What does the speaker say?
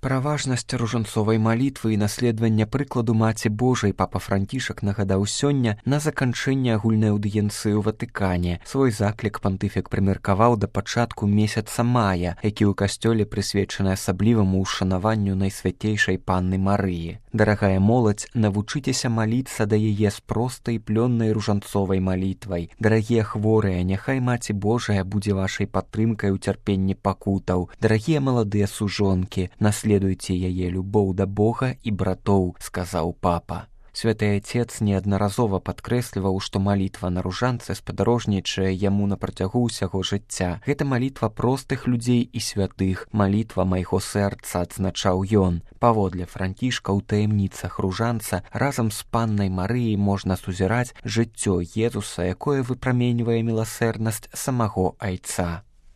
Пра важнасць ружанцовай малітвы і наследавання прыкладу Маці Божай папа Францішак нагадаў сёння на заканчэнне агульнай аўдыенцыі ў Ватыкане. Свой заклік пантыфік прымеркаваў да пачатку месяца мая, які ў касцёле прысвечаны асабліваму ўшанаванню Найсвяцейшай Панны Марыі. Дарагая моладзь, навучыцеся маліцца да яе з простай плённай ружанцовай малітвай. Дарагія хворыя, няхай Маці Божая будзе вашай падтрымкай у цярпенні пакутаў. Дарагія маладыя сужонкі, наследуйце яе любоў да Бога і братоў, сказаў папа. Святы Отец неаднаразова падкрэсліваў, што малітва на ружанцы спадарожнічае яму на працягу ўсяго жыцця. Гэта малітва простых людзей і святых, малітва майго сэрца, адзначаў ён. Паводле Францішка ў таямніцах ружанца разам з Паннай Марыяй можна сузіраць жыццё Езуса, якое выпраменьвае міласэрнасць самаго Айца.